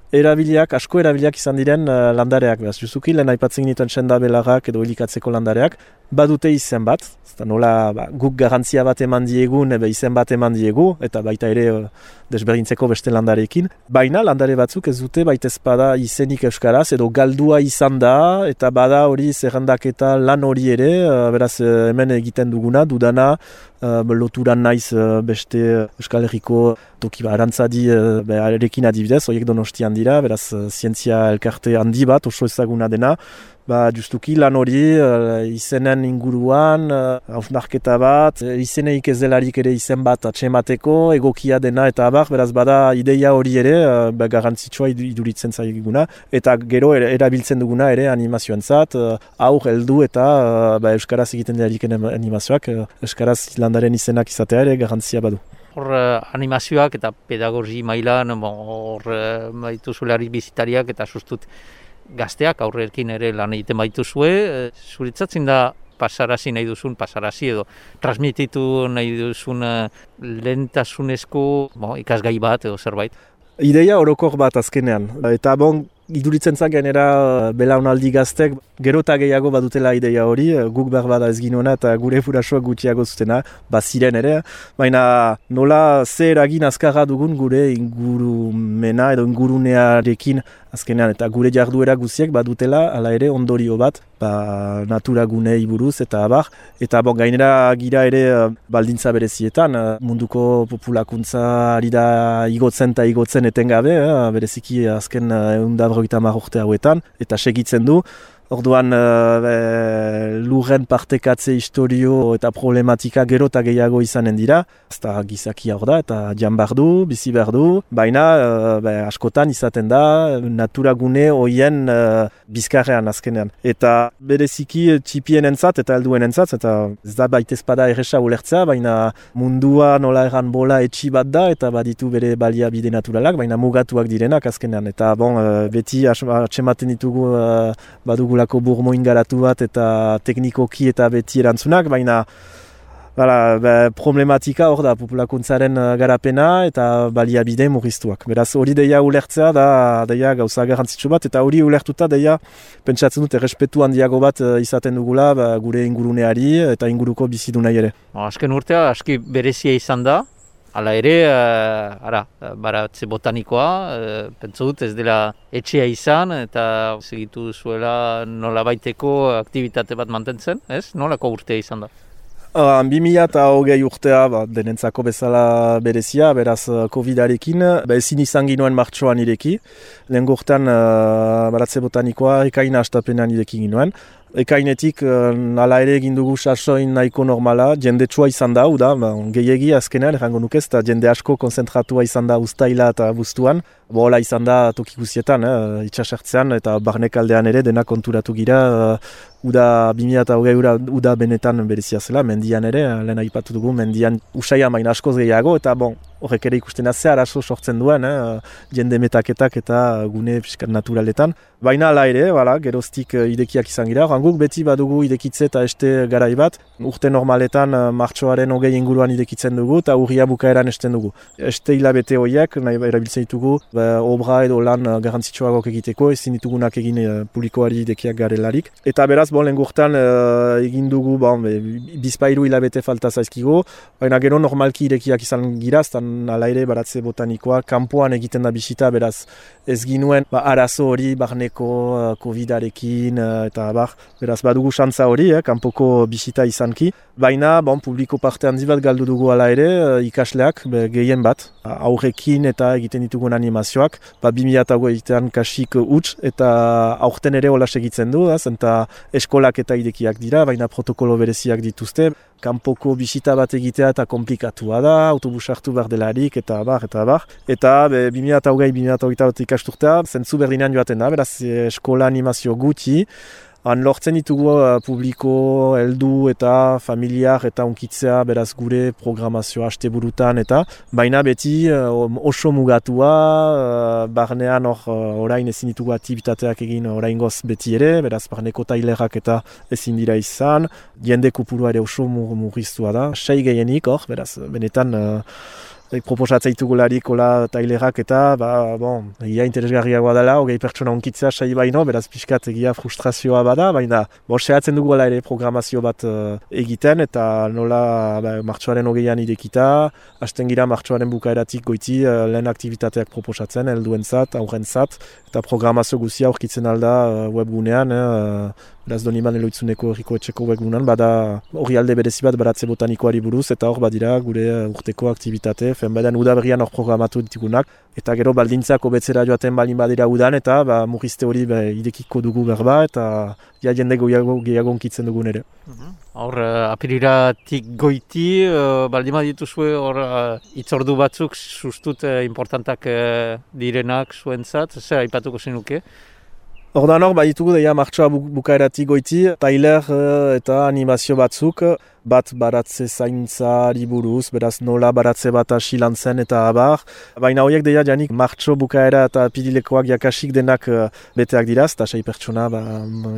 asko erabiliak izan diren landareak, beraz, justuki, lehen aipatzen dituen sendabelarrak edo elikatzeko landareak, badute izen bat, eta nola guk garantzia bat eman diegun, izen bat eman diegu, eta baita ere desberdintzeko beste landarekin. Baina landare batzuk ez dute baita ezpada izenik euskaraz, edo galdua izan da, eta bada hori zerrendaketa lan hori ere, beraz hemen egiten duguna, dudana, loturan naiz beste Euskal Herriko toki arantzadi erekin adibidez, horiek Donostian dira, beraz zientzia elkarte handi bat, oso ezaguna dena, justuki lan hori izenen inguruan, hausnarketa bat, izeneik ez delarik ere izen bat atxemateko, egokia dena eta abar, beraz bada ideia hori ere, garrantzitsua iduritzen zaiguna, eta gero erabiltzen duguna ere animazioentzat, aur heldu eta euskaraz egiten delarik animazioak, euskaraz landaren izenak izatea ere garrantzia badu. Hor animazioak eta pedagogi mailan, hor baituzularik bizitariak eta sustut gazteak aurrekin ere lan egiten baituzue, zuritzatzen da pasarazi nahi duzun, pasarazi edo transmititu nahi duzun lehentasunezko ikasgai bat edo zerbait? Ideia orokor bat azkenean, eta iduritzen zan gainera belaunaldi gaztek, gero eta gehiago badutela ideia hori, guk behar bada ez ginoena eta gure furasoak gutxiago zutena, ziren ere, baina nola ze eragin azkarra dugun gure ingurumena edo ingurunearekin azkenean, eta gure jarduera guziek badutela, hala ere ondorio bat, natura gunei buruz eta abar, eta gainera gira ere baldintza berezietan, munduko populakuntza ari da igotzen eta igotzen etengabe, bereziki azken 150 urte hauetan, eta segitzen du. Orduan lurren partekatze historio eta problematika gero eta gehiago izanen dira. Ezta gizakia hor da eta jan behar du, bizi behar du. Baina askotan izaten da naturagune hoien bizkarrean azkenean. Eta bereziki txipien entzat eta helduen entzat, eta ez da baitezpada erresa ulertzea, baina mundua nola erran bola etxi bat da eta baditu bere baliabide naturalak, baina mugatuak direnak azkenean. Eta beti atxematen ditugu badugulako burmoin garatu bat eta teknikoki eta beti erantzunak, baina problematika hor da populakuntzaren garapena eta baliabide murriztuak. Beraz hori deia ulertzea da deia gauza garrantzitsu bat, eta hori ulertuta deia pentsatzen dut errespetu handiago bat izaten dugula gure inguruneari eta inguruko bizidunai ere. Azken urtea aski berezia izan da, hala ere, baratze botanikoa, pentsu dut ez dela etxea izan eta segitu zuela nolabaiteko aktivitate bat mantentzen, ez? Nolako urtea izan da? 2020 urtea denentzako bezala berezia, beraz COVID-arekin, ezin izan ginoen martxoan ireki. Lehen urtean baratze botanikoa ekaina astapenean ireki ginoen. Ekainetik hala ere egin dugu sasoin nahiko normala, jendetsua izan da, gehiegi azkenean, errango nuke ez, jende asko konzentratua izan da uztaila eta buztuan, hola izan da toki guztietan, itxasertzean eta barnekaldean ere dena konturatu gira, uda 2020 uda benetan berezia zela, mendian ere, lehen aipatu dugu, mendian usaia main askoz gehiago, eta horrek ere ikusten da ze arazo sortzen duen, jende metaketak eta gune fiskat naturaletan. Baina ala ere, geroztik idekiak izan gira, guk beti badugu idekitze eta este garai bat, urte normaletan martxoaren 20 inguruan idekitzen dugu eta urria bukaeran esten dugu. Este hilabete horiek, nahi erabiltzen ditugu, obra edo lan garrantzitsuagok egiteko, ezin ditugunak egin publikoari idekiak garelarik. Eta beraz, lehen gurtan egin dugu, bizpairu hilabete falta zaizkigo, baina gero normalki idekiak izan gira, ala ere baratze botanikoa, kanpoan egiten da bisita, beraz ez ginuen arazo hori barneko COVID-arekin, eta beraz badugu xantza hori, kanpoko bisita izanki, baina publiko parte handi bat galdu dugu ala ere, ikasleak gehien bat, aurrekin eta egiten ditugun animazioak, 2008an kasik huts, eta aurten ere hola segitzen du, eta eskolak eta idekiak dira, baina protokolo bereziak dituzte, kanpoko bisita bat egitea eta komplikatua da, autobus hartu behar delarik, eta bar. Eta 2020-2021 ikasturtea, zentzu berdinean joaten da, beraz eskola animazio gutxi, lortzen ditugu publiko, heldu eta familiar eta unkitzea beraz gure programazioa asteburutan eta baina beti oso mugatua, barnean orain ezin ditugu aktibitateak egin oraingoz beti ere, beraz barneko tailerak eta ezin dira izan, jende kopurua ere oso murriztua da, 6 gehienik beraz benetan proposatzen ditugularik hola tailerak eta, egia interesgarriagoa dela, 20 pertsona onkitzea sai baino, beraz pixkat egia frustrazioa bada, baina sehatzen dugu ere programazio bat egiten, eta nola martxoaren 20an idekita, hasten gira martxoaren bukaeratik goiti lehen aktivitateak proposatzen, helduentzat, aurrentzat, eta programazio guzia aurkitzen alda webgunean, beraz Doniman Eloitzuneko herriko etxeko webgunean, bada hori alde berezi bat baratze botanikoari buruz, eta hor badira gure urteko aktivitate, badan udaberrian hor programatu ditugunak, eta gero baldintzako betzera joaten balin badira udan, eta murrizte hori idekiko dugu berba, eta jende gehiago onkitzen dugun ere. Hor, apiriratik goiti, baldin badituzue hor itzordu batzuk sustut importantak direnak zuentzat, zer aipatuko zenuke? Ordan hor, baditugu deia martxoa bukaeratik goiti, tailer eta animazio batzuk, bat baratze zaintzari buruz, beraz nola baratze bat hasi lan zen eta abar. Baina horiek deia janik martxo bukaera eta pirilekoak jakasik denak beteak dira, eta 6 pertsona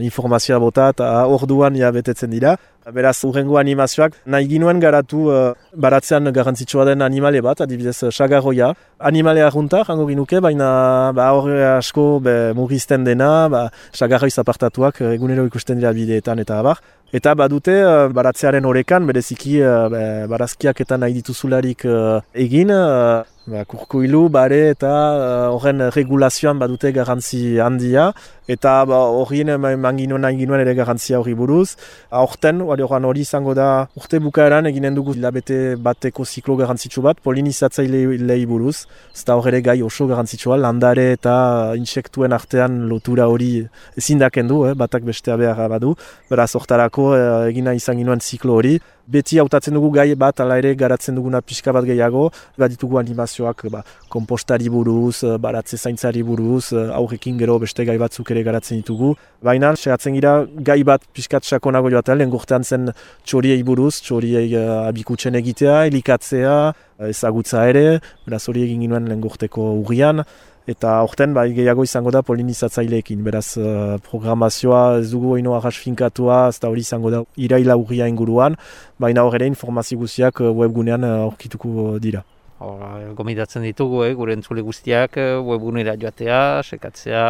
informazioa bota eta orduan betetzen dira. Beraz, urrengo animazioak nahi ginuen garatu baratzean garrantzitsua den animale bat, adibidez sagarroia. Animale arrunta, jango ginuke, baina hor asko murrizten dena, sagarroi zapartatuak egunero ikusten dira bideetan eta abar. Eta badute baratzearen orekan, bereziki barazkiak eta nahi dituzularik egin, kurkuilu, bare eta horren regulazioan badute garrantzi handia, eta horien nahi ginuen ere garrantzia hori buruz. Aurten, hori izango da, urte bukaeran eginen dugu hilabete bateko ziklo garrantzitsu bat, polinizatzailei buruz, eta hor ere gai oso garrantzitsua, landare eta insektuen artean lotura hori ezindaken du, batak bestea behar badu, beraz hortarako egina izan ginuen ziklo hori. Beti hautatzen dugu gai bat, ala ere garatzen duguna pixka bat gehiago, ditugu animazioak kompostari buruz, baratze zaintzari buruz, aurrekin gero beste gai batzuk ere garatzen ditugu. Baina, sehatzen gira gai bat pixkat sakonago joatea, lehen gurtean zen txoriei buruz, txoriei abikutzen egitea, elikatzea, ezagutza ere, beraz hori egin ginoen lehen gurteko urrian. Eta horten gehiago izango da polinizatzaileekin, beraz programazioa ez dugu oino arras finkatua, ez da hori izango da iraila urria inguruan, baina hor ere informazio guztiak webgunean aurkituko dira. Gomidatzen ditugu, gure entzule guztiak webgunera joatea, sekatzea,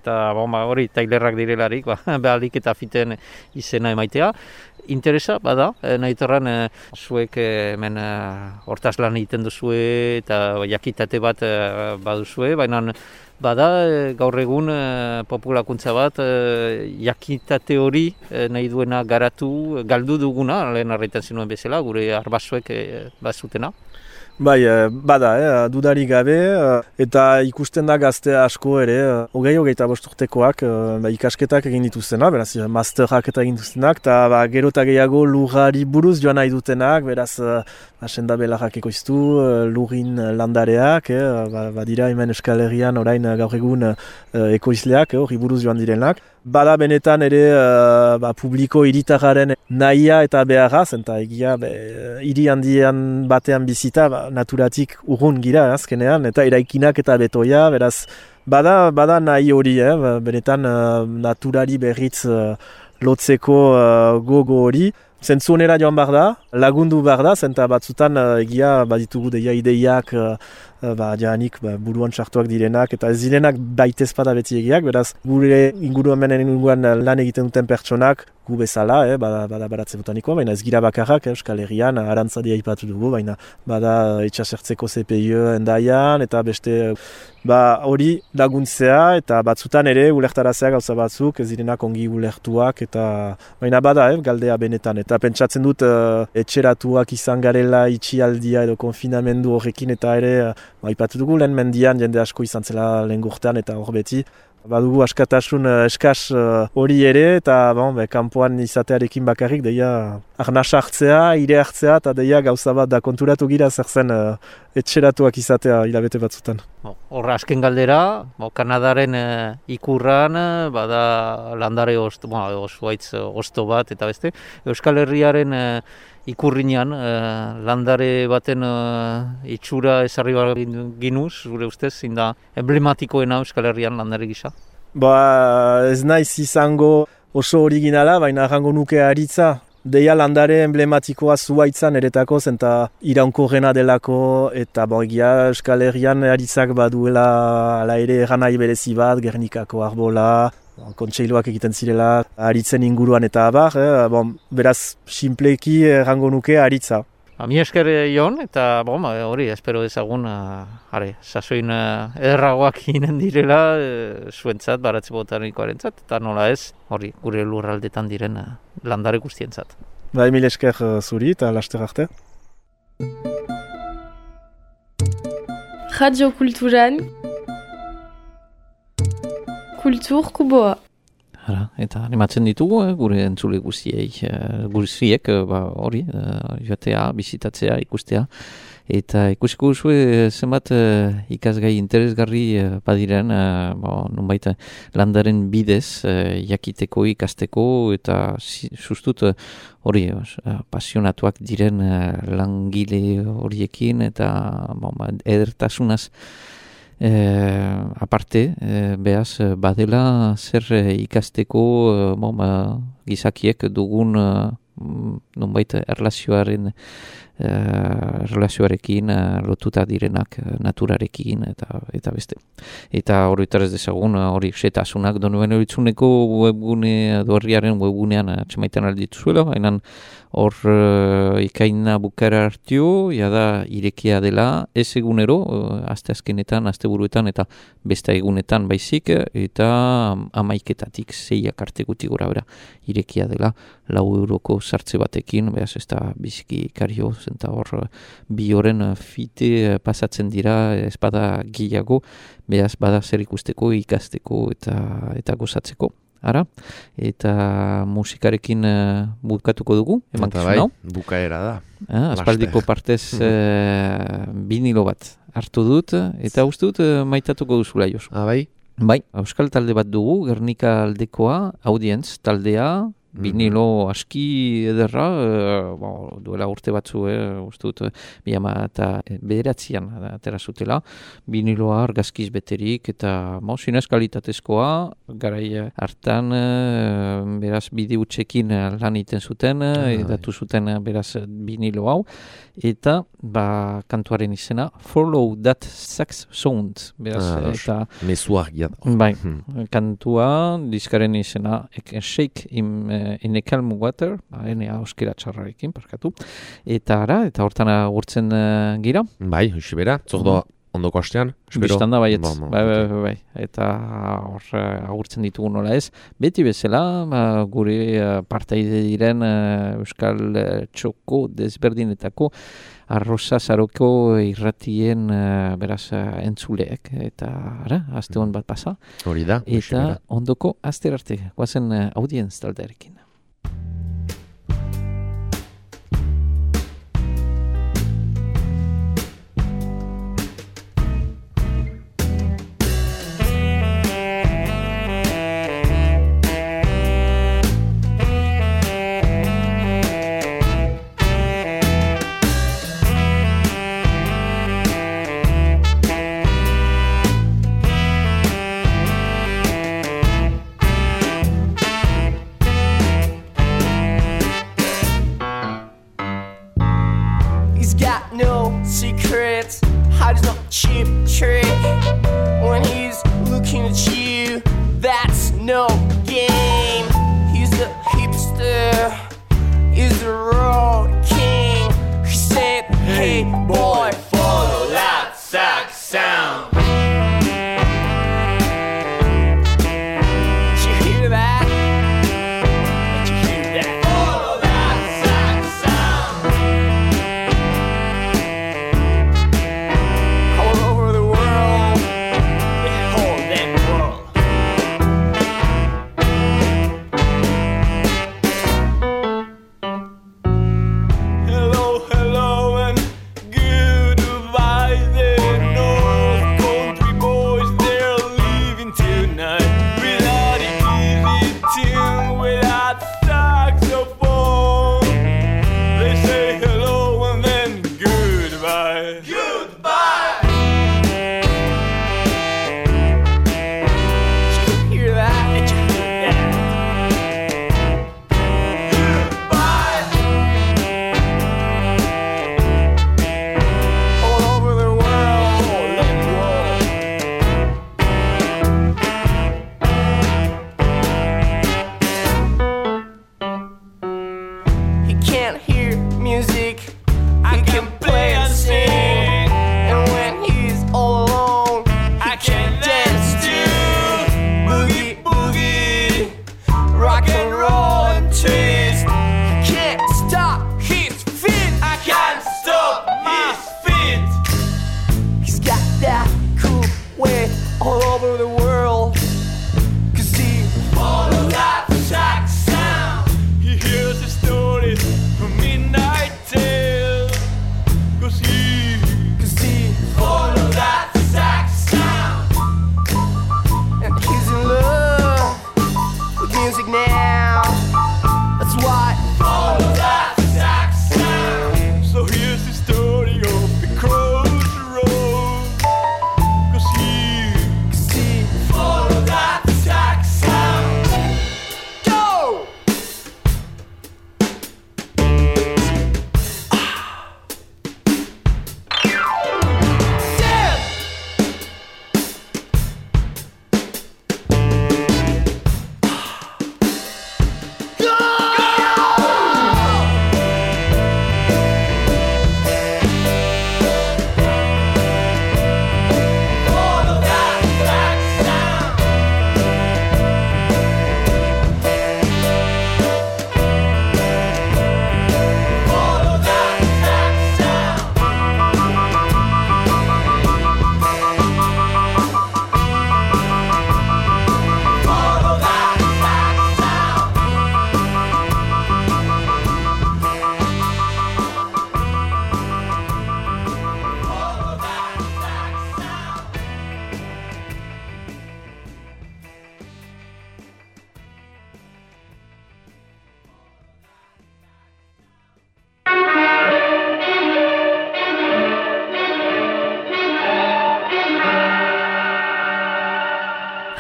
eta hori tailerrak direlarik, behalik eta fiten izena emaitea. interesa, bada, nahitorran zuek hemen hortaz lan egiten duzue eta jakitate bat baduzue, baina bada gaur egun populakuntza bat jakitate hori nahi duena garatu, galdu duguna, lehen arretan zinuen bezala, gure arbasoek bazutena. Bai, bada, dudari gabe, eta ikusten da gazte asko ere, hogeita bost urtekoak ikasketak egin dituztenak, beraz, masterak eta egin dituztenak, eta gero eta gehiago lurrari buruz joan nahi dutenak, beraz, senda belarrak ekoiztu, lurrin landareak, badira hemen Euskal Herrian orain gaur egun ekoizleak, hori buruz joan direnak. Bada benetan ere publiko hiritarraren nahia eta beharraz, eta egia hiri handian batean bizita naturatik urrun gira azkenean, eta eraikinak eta betoia, beraz bada nahi hori, benetan naturari berriz lotzeko gogo hori. Zentzunera joan behar da, lagundu behar da, zenta batzutan egia baditugu deia ideiak jaanik buruan sartuak direnak, eta ez direnak baitez bada beti egiak, beraz gure inguruan lan egiten duten pertsonak gu bezala, bada baratze botanikoa, baina ez gira bakarrak, Euskal Herrian, arantzadia ipatu dugu, baina bada itxasertzeko CPI endaian, eta beste hori laguntzea, eta batzutan ere ulertarazea gauza batzuk, ez direnak ongi ulertuak, eta baina bada, galdea benetan, eta pentsatzen dut etxeratuak izan garela itxialdia edo konfinamendu horrekin, eta ere ipatu dugu lehen mendian jende asko izan zela lehen gurtean eta hor beti. Badugu askatasun eskas hori ere eta kanpoan izatearekin bakarrik deia arnasa hartzea, ire hartzea eta deia gauza bat da konturatu gira zer zen etxeratuak izatea hilabete batzutan. Horra azken galdera, Kanadaren ikurran bada landare zuaitz osto bat eta beste. Euskal Herriaren ikurrinean landare baten itxura ezarri ginuz, gure ustez, zinda emblematikoena Euskal Herrian landare gisa? Ez naiz izango oso originala, baina arrango nuke aritza. Deia landare emblematikoa zuaitzan eretako, zenta iraunkorrena delako, eta egia Euskal Herrian aritzak baduela ala ere erranai berezi bat, Gernikako arbola, kontseiloak egiten zirela, aritzen inguruan eta abar, beraz, sinpleki errango nuke aritza. Mi esker Jon, eta hori, espero ezagun, sasoin ederragoak ginen direla, zuentzat, baratze botanikoarentzat, eta nola ez, hori, gure lurraldetan diren landare guztientzat. Mil esker zuri eta laster arte. Radio Kulturan Kultur Kuboa. Eta animatzen ditugu, gure entzule guztiek, hori, joatea, bizitatzea, ikustea. Eta ikusiko duzue zenbat ikasgai interesgarri badiren, nonbait landaren bidez jakiteko, ikasteko, eta sustut hori pasionatuak diren langile horiekin, eta edertasunaz aparte, behaz, badela zer ikasteko gizakiek dugun nonbait erlazioarekin lotuta direnak naturarekin eta beste. Eta horretar ez dezagun hori setasunak donuen horitzuneko webgune dorriaren webgunean atxemaitan aldituzuela, baina hor ikaina bukara hartio, jada irekia dela ez egunero, aste azkenetan, aste buruetan eta beste egunetan baizik, eta 11-etatik 6 arte guti gora bera irekia dela 4 euroko sartze batekin, behaz ez da biziki kario, zenta hor 2 oren fite pasatzen dira, ez bada gehiago, behaz bada zer ikusteko, ikasteko eta gozatzeko. Ara, eta musikarekin bukatuko dugu, emankizun hau. Bukaera da. Aspaldiko partez vinilo bat hartu dut, eta uste dut maitatuko duzula, Josu. Bai? Bai, euskal talde bat dugu, Gernika aldekoa, Audientz taldea, vinilo aski ederra, duela urte batzu, uste dut, 2009an atera zutela, viniloa argazkiz beterik, eta zinez kalitatezkoa, garai hartan, beraz bide utxekin lan egiten zuten, edatu zuten beraz vinilo hau, eta kantuaren izena, Follow That Sax Sound, beraz, eta... Mesuak jat. Bai, kantua, diskaren izena, Shake Him In a Calm Water, ene auskera txarrarekin, parkatu, eta hortan agurtzen gira. Bai, hoxe bera, zordo ondoko hastean, espero. Bistanda baietz, bai. Eta hor agurtzen ditugu nola ez. Beti bezala, gure partaide diren Euskal Txoko desberdinetako Arrosa Zaroko irratien beraz entzuleek. Eta aste hon bat pasa. Hori da. Eta ondoko aster arte, guazen audientz taldearekin. Secrets, hides no cheap trick. When he's looking at you, that's no game. He's the hipster, he's the road king. He said, hey boy, follow that sax sound. Did you hear that? Did you hear that? Follow that sax sound. All over the world, the whole damn world. Hello, hello, and goodbye there. North Country boys, they're leaving tonight. Without a easy tune, without saxophone. They say hello and then goodbye. Goodbye. Did you hear that? Did you hear that? Goodbye. All over the world, he can't hear music, I can play and sing. And when he's all alone, I can dance too. Boogie, boogie, rock and roll and twist. He can't stop his feet, I can't stop his feet. He's got that cool way all over the world. 'Cause he follows that sax sound. He hears the stories from Midnight Tale. 'Cause he follows that sax sound. And he's in love with music now. That's why follow that sax sound. So here's the story of the crossroad. 'Cause he follow that sax sound. Go! Damn! Follow that sax sound. Follow that sax sound. Follow that sax sound. Follow that sax sound.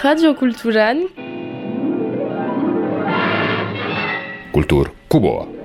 Radio Kulturan Kultur Kuboa.